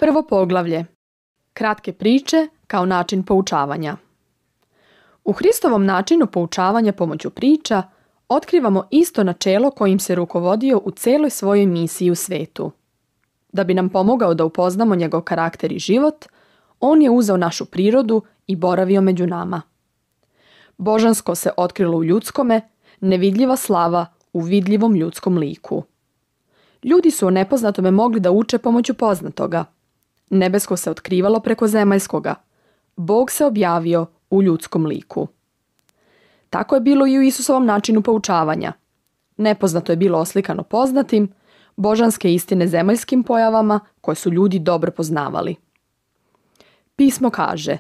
Prvo poglavlje. Kratke priče kao način poučavanja. U Hristovom načinu poučavanja pomoću priča otkrivamo isto načelo kojim se rukovodio u celoj svojoj misiji u svetu. Da bi nam pomogao da upoznamo njegov karakter i život, on je uzeo našu prirodu i boravio među nama. Božansko se otkrilo u ljudskome, nevidljiva slava u vidljivom ljudskom liku. Ljudi su o nepoznatome mogli da uče pomoću poznatoga. Nebesko se otkrivalo preko zemaljskoga. Bog se objavio u ljudskom liku. Tako je bilo i u Isusovom načinu poučavanja. Nepoznato je bilo oslikano poznatim, božanske istine zemaljskim pojavama koje su ljudi dobro poznavali. Pismo kaže: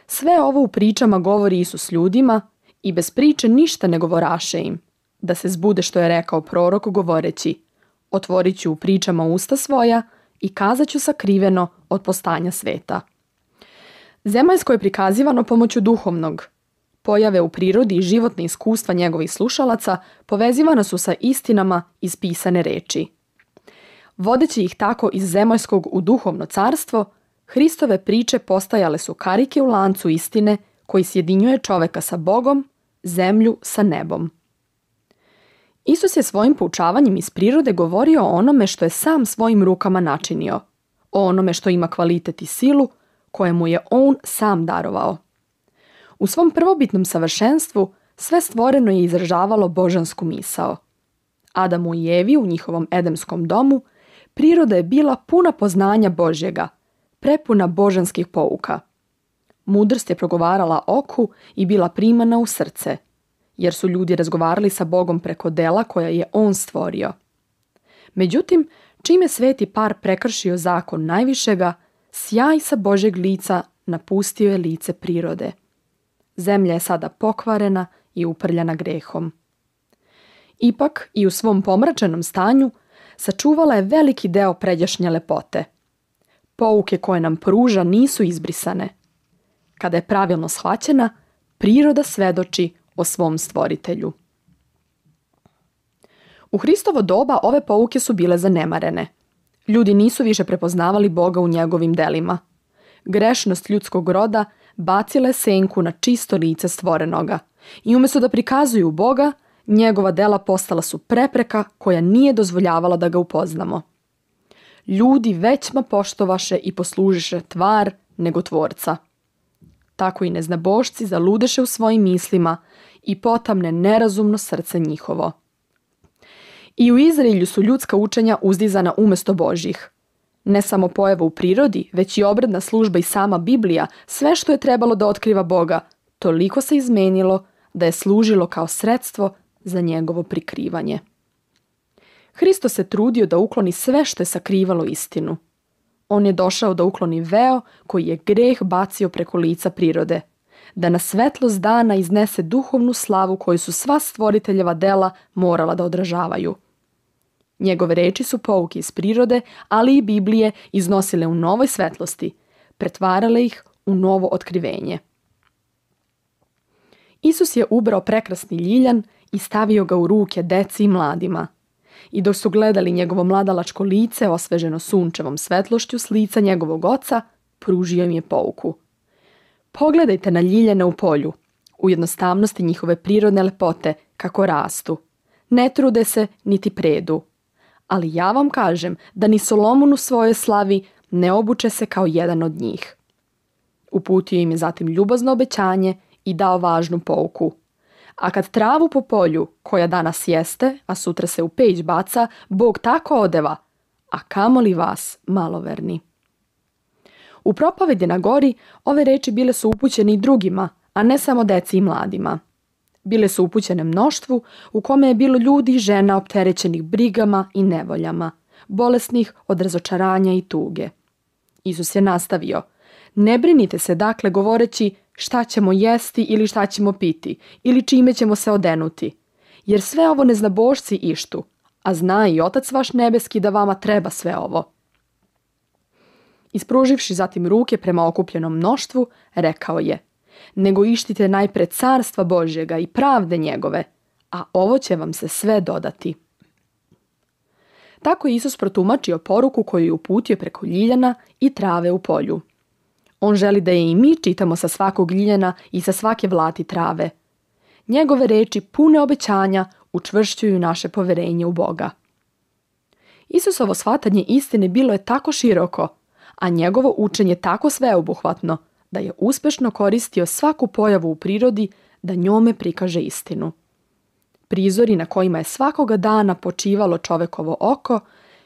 sve ovo u pričama govori Isus ljudima i bez priče ništa ne govoraše im, da se zbude što je rekao prorok govoreći: otvorit ću u pričama usta svoja i kazat ću sakriveno od postanja sveta. Zemaljsko je prikazivano pomoću duhovnog. Pojave u prirodi i životne iskustva njegovih slušalaca povezivana su sa istinama iz pisane reči. Vodeći ih tako iz zemaljskog u duhovno carstvo, Hristove priče postajale su karike u lancu istine koji sjedinjuje čoveka sa Bogom, zemlju sa nebom. Isus je svojim poučavanjem iz prirode govorio o onome što je sam svojim rukama načinio, o onome što ima kvalitet i silu koje mu je on sam darovao. U svom prvobitnom savršenstvu sve stvoreno je izražavalo božansku misao. Adamu i Evi u njihovom edemskom domu priroda je bila puna poznanja Božjega, prepuna božanskih pouka. Mudrost je progovarala oku i bila primana u srce, jer su ljudi razgovarali sa Bogom preko dela koja je on stvorio. Međutim, čim je sveti par prekršio zakon najvišega, sjaj sa Božjeg lica napustio je lice prirode. Zemlja je sada pokvarena i uprljana grehom. Ipak i u svom pomračenom stanju sačuvala je veliki deo pređašnje lepote. Pouke koje nam pruža nisu izbrisane. Kada je pravilno shvaćena, priroda svedoči o svom stvoritelju. U Hristovo doba ove pouke su bile zanemarene. Ljudi nisu više prepoznavali Boga u njegovim delima. Grešnost ljudskog roda bacila je senku na čisto lice stvorenoga i umjesto da prikazuju Boga, njegova dela postala su prepreka koja nije dozvoljavala da ga upoznamo. Ljudi većma poštovaše i poslužiše tvar nego tvorca. Tako i neznabošci zaludeše u svojim mislima i potamne nerazumno srce njihovo. I u Izraelju su ljudska učenja uzdizana umjesto Božjih. Ne samo pojava u prirodi, već i obredna služba i sama Biblija, sve što je trebalo da otkriva Boga, toliko se izmenilo da je služilo kao sredstvo za njegovo prikrivanje. Hristo se trudio da ukloni sve što je sakrivalo istinu. On je došao da ukloni veo koji je greh bacio preko lica prirode, da na svetlost dana iznese duhovnu slavu koju su sva stvoriteljeva dela morala da odražavaju. Njegove reči su pouke iz prirode, ali i Biblije iznosile u novoj svetlosti, pretvarale ih u novo otkrivenje. Isus je ubrao prekrasni ljiljan i stavio ga u ruke deci i mladima. I dok su gledali njegovo mladalačko lice osveženo sunčevom svetlošću s lica njegovog oca, pružio im je pouku. Pogledajte na ljiljane u polju, u jednostavnosti njihove prirodne lepote, kako rastu. Ne trude se niti predu. Ali ja vam kažem da ni Solomon u svojoj slavi ne obuče se kao jedan od njih. Uputio im je zatim ljubazno obećanje i dao važnu pouku. A kad travu po polju, koja danas jeste, a sutra se u peć baca, Bog tako odeva, a kamoli vas, maloverni. U propovedi na gori ove reči bile su upućene i drugima, a ne samo deci i mladima. Bile su upućene mnoštvu u kome je bilo ljudi i žena opterećenih brigama i nevoljama, bolesnih od razočaranja i tuge. Isus je nastavio: ne brinite se dakle govoreći šta ćemo jesti ili šta ćemo piti ili čime ćemo se odenuti, jer sve ovo neznabošci ištu, a zna i Otac vaš nebeski da vama treba sve ovo. Ispruživši zatim ruke prema okupljenom mnoštvu, rekao je: nego ištite najpre carstva Božjega i pravde njegove, a ovo će vam se sve dodati. Tako je Isus protumačio poruku koju je uputio preko ljiljana i trave u polju. On želi da je i mi čitamo sa svakog ljiljana i sa svake vlati trave. Njegove reči pune obećanja učvršćuju naše poverenje u Boga. Isusovo shvatanje istine bilo je tako široko, a njegovo učenje tako sveobuhvatno, da je uspešno koristio svaku pojavu u prirodi da njome prikaže istinu. Prizori na kojima je svakoga dana počivalo čovekovo oko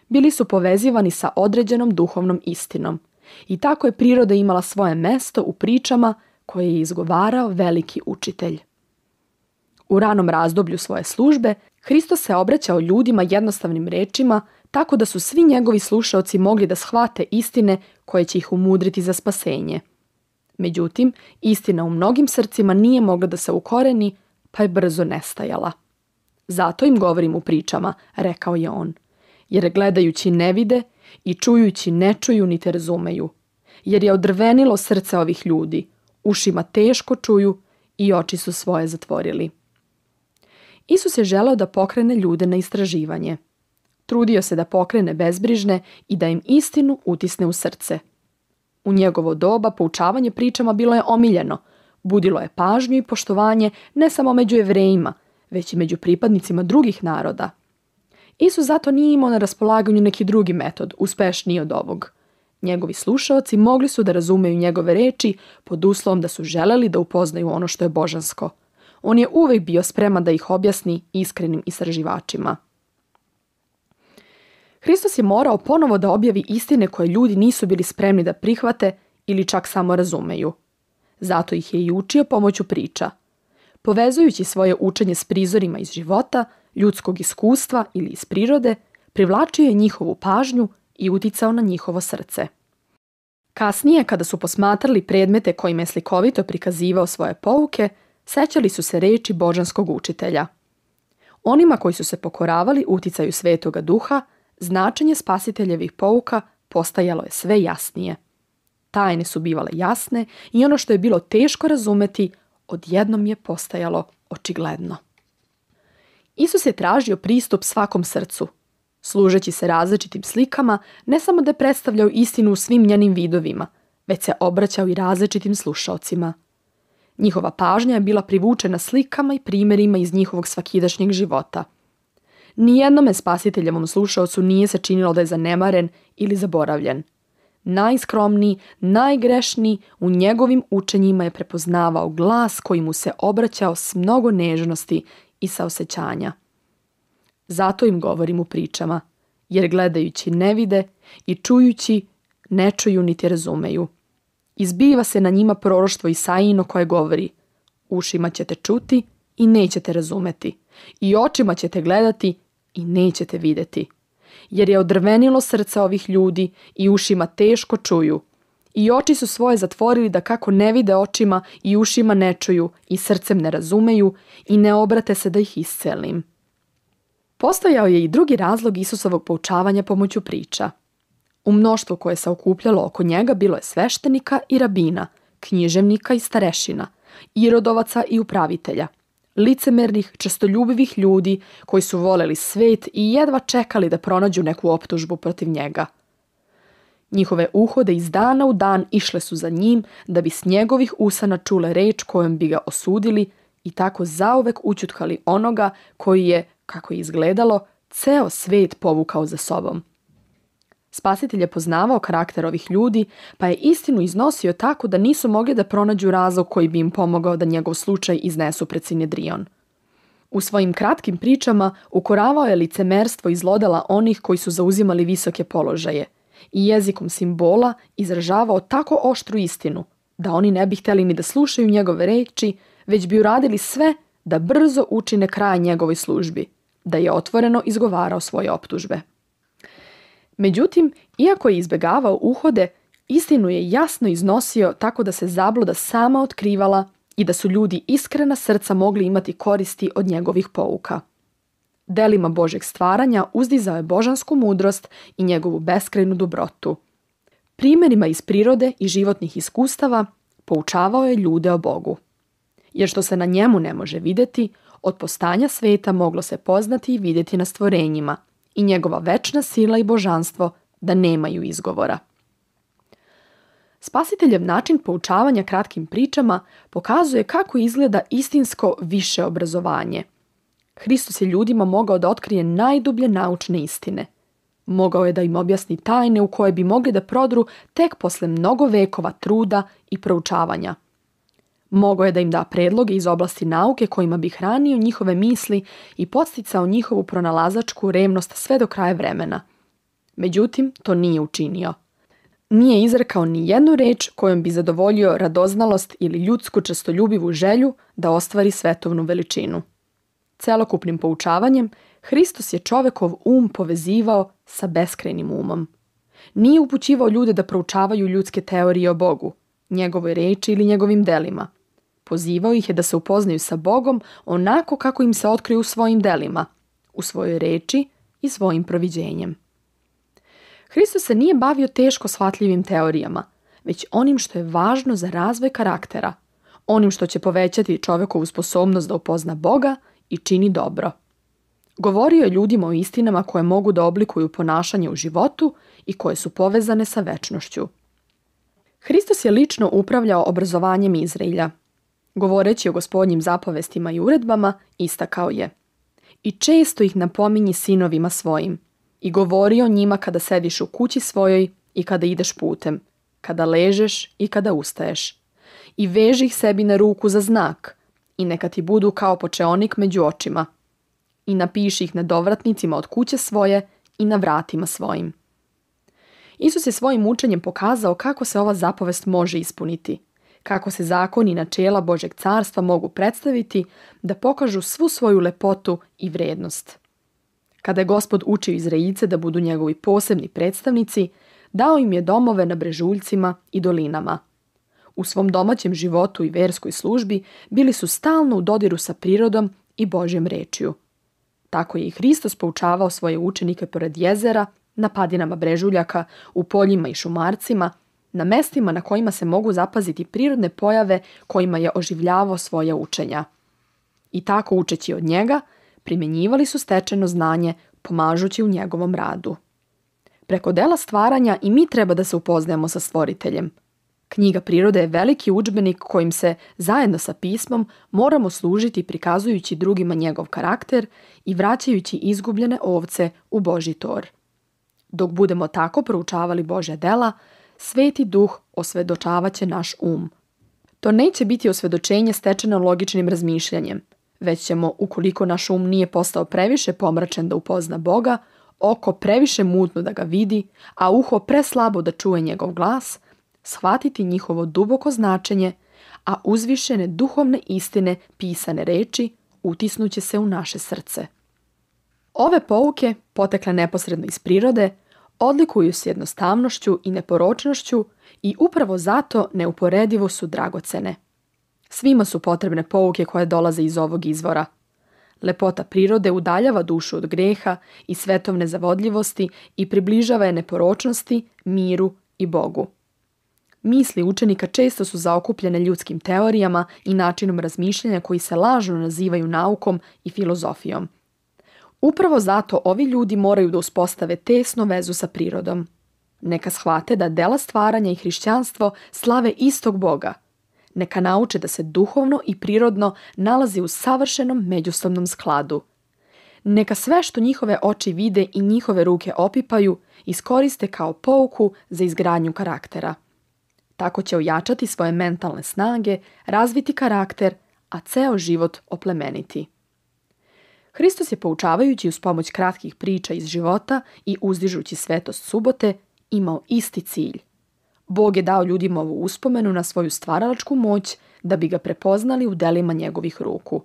bili su povezivani sa određenom duhovnom istinom i tako je priroda imala svoje mesto u pričama koje je izgovarao veliki učitelj. U ranom razdoblju svoje službe Hristos se obraćao ljudima jednostavnim rečima tako da su svi njegovi slušaoci mogli da shvate istine koje će ih umudriti za spasenje. Međutim, istina u mnogim srcima nije mogla da se ukoreni, pa je brzo nestajala. Zato im govorim u pričama, rekao je on, jer gledajući ne vide i čujući ne čuju niti razumeju, jer je odrvenilo srce ovih ljudi, ušima teško čuju i oči su svoje zatvorili. Isus je želeo da pokrene ljude na istraživanje. Trudio se da pokrene bezbrižne i da im istinu utisne u srce. U njegovo doba poučavanje pričama bilo je omiljeno, budilo je pažnju i poštovanje ne samo među Jevrejima, već i među pripadnicima drugih naroda. Isus zato nije imao na raspolaganju neki drugi metod, uspešniji od ovog. Njegovi slušaoci mogli su da razumeju njegove reči pod uslovom da su želeli da upoznaju ono što je božansko. On je uvijek bio spreman da ih objasni iskrenim istraživačima. Hristos je morao ponovo da objavi istine koje ljudi nisu bili spremni da prihvate ili čak samo razumeju. Zato ih je i učio pomoću priča. Povezujući svoje učenje s prizorima iz života, ljudskog iskustva ili iz prirode, privlačio je njihovu pažnju i uticao na njihovo srce. Kasnije, kada su posmatrali predmete kojima je slikovito prikazivao svoje pouke, sećali su se reči božanskog učitelja. Onima koji su se pokoravali uticaju Svetoga Duha, značenje spasiteljevih pouka postajalo je sve jasnije. Tajne su bivale jasne i ono što je bilo teško razumeti, odjednom je postajalo očigledno. Isus je tražio pristup svakom srcu. Služeći se različitim slikama, ne samo da je predstavljao istinu u svim njenim vidovima, već se obraćao i različitim slušaocima. Njihova pažnja je bila privučena slikama i primjerima iz njihovog svakidašnjeg života. Nijednome spasiteljevom slušaocu nije se činilo da je zanemaren ili zaboravljen. Najskromniji, najgrešniji u njegovim učenjima je prepoznavao glas koji mu se obraćao s mnogo nežnosti i saosećanja. Zato im govorim u pričama, jer gledajući ne vide i čujući ne čuju niti razumeju. Izbiva se na njima proroštvo Isaijino koje govori: ušima ćete čuti i nećete razumeti, i očima ćete gledati i nećete vidjeti. Jer je odrvenilo srce ovih ljudi i ušima teško čuju. I oči su svoje zatvorili da kako ne vide očima i ušima ne čuju i srcem ne razumeju i ne obrate se da ih iscelim. Postojao je i drugi razlog Isusovog poučavanja pomoću priča. U mnoštvu koje se okupljalo oko njega bilo je sveštenika i rabina, književnika i starešina, irodovaca i upravitelja, licemernih, čestoljubivih ljudi koji su voleli svet i jedva čekali da pronađu neku optužbu protiv njega. Njihove uhode iz dana u dan išle su za njim da bi s njegovih usana čule reč kojom bi ga osudili i tako zauvek ućutkali onoga koji je, kako je izgledalo, ceo svet povukao za sobom. Spasitelj je poznavao karakter ovih ljudi, pa je istinu iznosio tako da nisu mogli da pronađu razlog koji bi im pomogao da njegov slučaj iznesu pred Sinedrion. U svojim kratkim pričama ukoravao je licemerstvo i zlodela onih koji su zauzimali visoke položaje i jezikom simbola izražavao tako oštru istinu da oni ne bi htjeli ni da slušaju njegove reči, već bi uradili sve da brzo učine kraj njegovoj službi, da je otvoreno izgovarao svoje optužbe. Međutim, iako je izbegavao uhode, istinu je jasno iznosio tako da se zabluda sama otkrivala i da su ljudi iskrena srca mogli imati koristi od njegovih pouka. Delima Božeg stvaranja uzdizao je božansku mudrost i njegovu beskrajnu dobrotu. Primjerima iz prirode i životnih iskustava poučavao je ljude o Bogu. Jer što se na njemu ne može vidjeti, od postanja sveta moglo se poznati i vidjeti na stvorenjima, i njegova večna sila i božanstvo da nemaju izgovora. Spasiteljev način poučavanja kratkim pričama pokazuje kako izgleda istinsko više obrazovanje. Hristos je ljudima mogao da otkrije najdublje naučne istine. Mogao je da im objasni tajne u koje bi mogli da prodru tek posle mnogo vekova truda i proučavanja. Mogao je da im da predloge iz oblasti nauke kojima bi hranio njihove misli i podsticao njihovu pronalazačku revnost sve do kraja vremena. Međutim, to nije učinio. Nije izrekao ni jednu reč kojom bi zadovoljio radoznalost ili ljudsku čestoljubivu želju da ostvari svetovnu veličinu. Celokupnim poučavanjem, Hristos je čovekov povezivao sa beskrajnim umom. Nije upućivao ljude da proučavaju ljudske teorije o Bogu, njegovoj reči ili njegovim delima. Pozivao ih je da se upoznaju sa Bogom onako kako im se otkriju u svojim delima, u svojoj reči i svojim proviđenjem. Hristos se nije bavio teško shvatljivim teorijama, već onim što je važno za razvoj karaktera, onim što će povećati čovekovu sposobnost da upozna Boga i čini dobro. Govorio je ljudima o istinama koje mogu da oblikuju ponašanje u životu i koje su povezane sa večnošću. Hristos je lično upravljao obrazovanjem Izraelja. Govoreći o Gospodnjim zapovestima i uredbama, istakao je: "I često ih napominji sinovima svojim, i govori o njima kada sediš u kući svojoj i kada ideš putem, kada ležeš i kada ustaješ. I veži ih sebi na ruku za znak, i neka ti budu kao počeonik među očima. I napiši ih na dovratnicima od kuće svoje i na vratima svojim." Isus je svojim učenjem pokazao kako se ova zapovest može ispuniti, kako se zakoni i načela Božjeg carstva mogu predstaviti da pokažu svu svoju lepotu i vrednost. Kada je Gospod učio Izraeljice da budu njegovi posebni predstavnici, dao im je domove na brežuljcima i dolinama. U svom domaćem životu i verskoj službi bili su stalno u dodiru sa prirodom i Božjom rečju. Tako je i Hristos poučavao svoje učenike pored jezera, na padinama brežuljaka, u poljima i šumarcima, na mestima na kojima se mogu zapaziti prirodne pojave kojima je oživljavao svoja učenja. I tako, učeći od njega, primjenjivali su stečeno znanje, pomažući u njegovom radu. Preko dela stvaranja i mi treba da se upoznajemo sa Stvoriteljem. Knjiga prirode je veliki udžbenik kojim se, zajedno sa pismom, moramo služiti prikazujući drugima njegov karakter i vraćajući izgubljene ovce u Božji tor. Dok budemo tako proučavali Božja dela, Sveti Duh osvedočavaće naš To neće biti osvedočenje stečeno logičnim razmišljanjem, već ćemo, ukoliko naš nije postao previše pomračen da upozna Boga, oko previše mutno da ga vidi, a uho preslabo da čuje njegov glas, shvatiti njihovo duboko značenje, a uzvišene duhovne istine pisane reči utisnuće se u naše srce. Ove pouke, potekle neposredno iz prirode, odlikuju se jednostavnošću i neporočnošću i upravo zato neuporedivo su dragocene. Svima su potrebne pouke koje dolaze iz ovog izvora. Lepota prirode udaljava dušu od greha i svetovne zavodljivosti i približava je neporočnosti, miru i Bogu. Misli učenika često su zaokupljene ljudskim teorijama i načinom razmišljanja koji se lažno nazivaju naukom i filozofijom. Upravo zato ovi ljudi moraju da uspostave tesnu vezu sa prirodom. Neka shvate da dela stvaranja i hrišćanstvo slave istog Boga. Neka nauče da se duhovno i prirodno nalazi u savršenom međusobnom skladu. Neka sve što njihove oči vide i njihove ruke opipaju iskoriste kao pouku za izgradnju karaktera. Tako će ojačati svoje mentalne snage, razviti karakter, a ceo život oplemeniti. Hristos je poučavajući uz pomoć kratkih priča iz života i uzdižući svetost subote imao isti cilj. Bog je dao ljudima ovu uspomenu na svoju stvaralačku moć da bi ga prepoznali u delima njegovih ruku.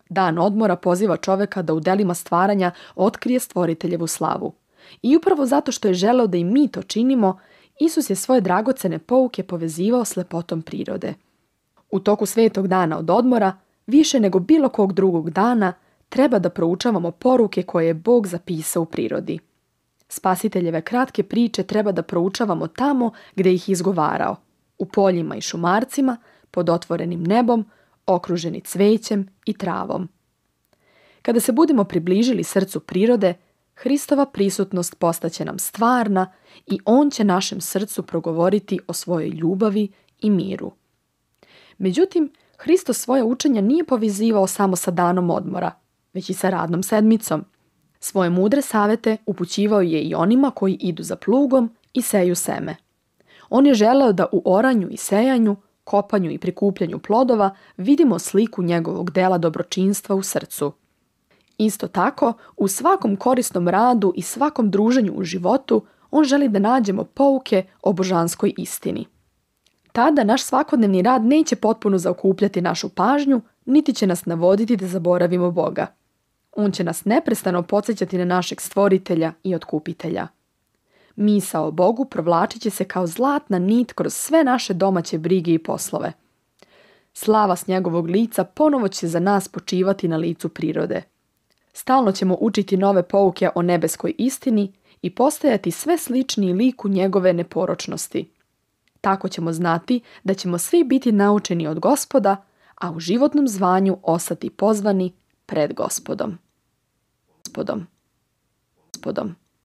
Dan odmora poziva čoveka da u delima stvaranja otkrije Stvoriteljevu slavu. I upravo zato što je želeo da i mi to činimo, Isus je svoje dragocene pouke povezivao s lepotom prirode. U toku svetog dana od odmora, više nego bilo kog drugog dana, treba da proučavamo poruke koje je Bog zapisao u prirodi. Spasiteljeve kratke priče treba da proučavamo tamo gde ih izgovarao, u poljima i šumarcima, pod otvorenim nebom, okruženi cvećem i travom. Kada se budemo približili srcu prirode, Hristova prisutnost postaće nam stvarna i On će našem srcu progovoriti o svojoj ljubavi i miru. Međutim, Hristos svoje učenje nije povezivao samo sa danom odmora, već i sa radnom sedmicom. Svoje mudre savete upućivao je i onima koji idu za plugom i seju seme. On je želeo da u oranju i sejanju, kopanju i prikupljanju plodova vidimo sliku njegovog dela dobročinstva u srcu. Isto tako, u svakom korisnom radu i svakom druženju u životu, on želi da nađemo pouke o božanskoj istini. Tada naš svakodnevni rad neće potpuno zaokupljati našu pažnju, niti će nas navoditi da zaboravimo Boga. On će nas neprestano podsjećati na našeg stvoritelja i otkupitelja. Misao o Bogu provlačit će se kao zlatna nit kroz sve naše domaće brige i poslove. Slava s njegovog lica ponovo će za nas počivati na licu prirode. Stalno ćemo učiti nove pouke o nebeskoj istini i postajati sve sličniji liku njegove neporočnosti. Tako ćemo znati da ćemo svi biti naučeni od Gospoda, a u životnom zvanju ostati pozvani pred Gospodom.